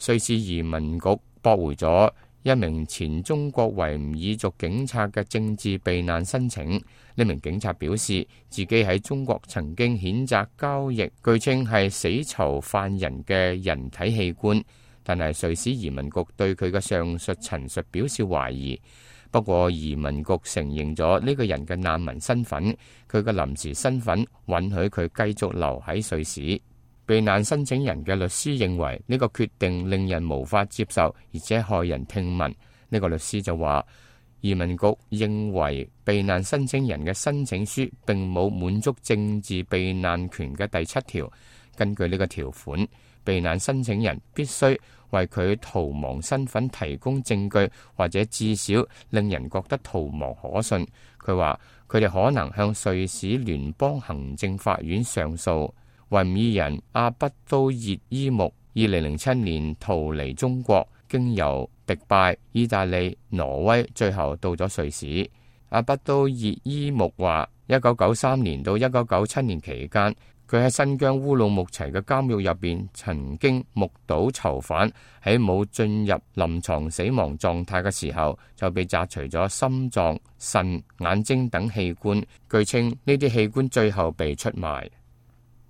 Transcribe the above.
瑞士移民局駁回咗一名前中國維吾爾族警察嘅政治避難申請。呢名警察表示，自己喺中國曾經譴責交易據稱係死囚犯人嘅人體器官，但係瑞士移民局對佢嘅上述陳述表示懷疑。不過移民局承認咗呢個人嘅難民身份，佢嘅臨時身份允許佢繼續留喺瑞士。避難申請人嘅律師認為呢個決定令人無法接受，而且駭人聽聞。呢個律師就話，移民局認為避難申請人嘅申請書並冇滿足政治避難權嘅第7條。根據呢個條款，避難申請人必須為佢逃亡身份提供證據，或者至少令人覺得逃亡可信。佢話佢哋可能向瑞士聯邦行政法院上訴。維吾爾人阿不都熱伊木2007年逃離中國，經由迪拜、意大利、挪威，最後到咗瑞士。阿不都熱伊木話，1993年到1997年期間，佢喺新疆烏魯木齊嘅監獄入邊，曾經目睹囚犯喺冇進入臨床死亡狀態嘅時候，就被摘除咗心臟、腎、眼睛等器官。據稱呢啲器官最後被出賣。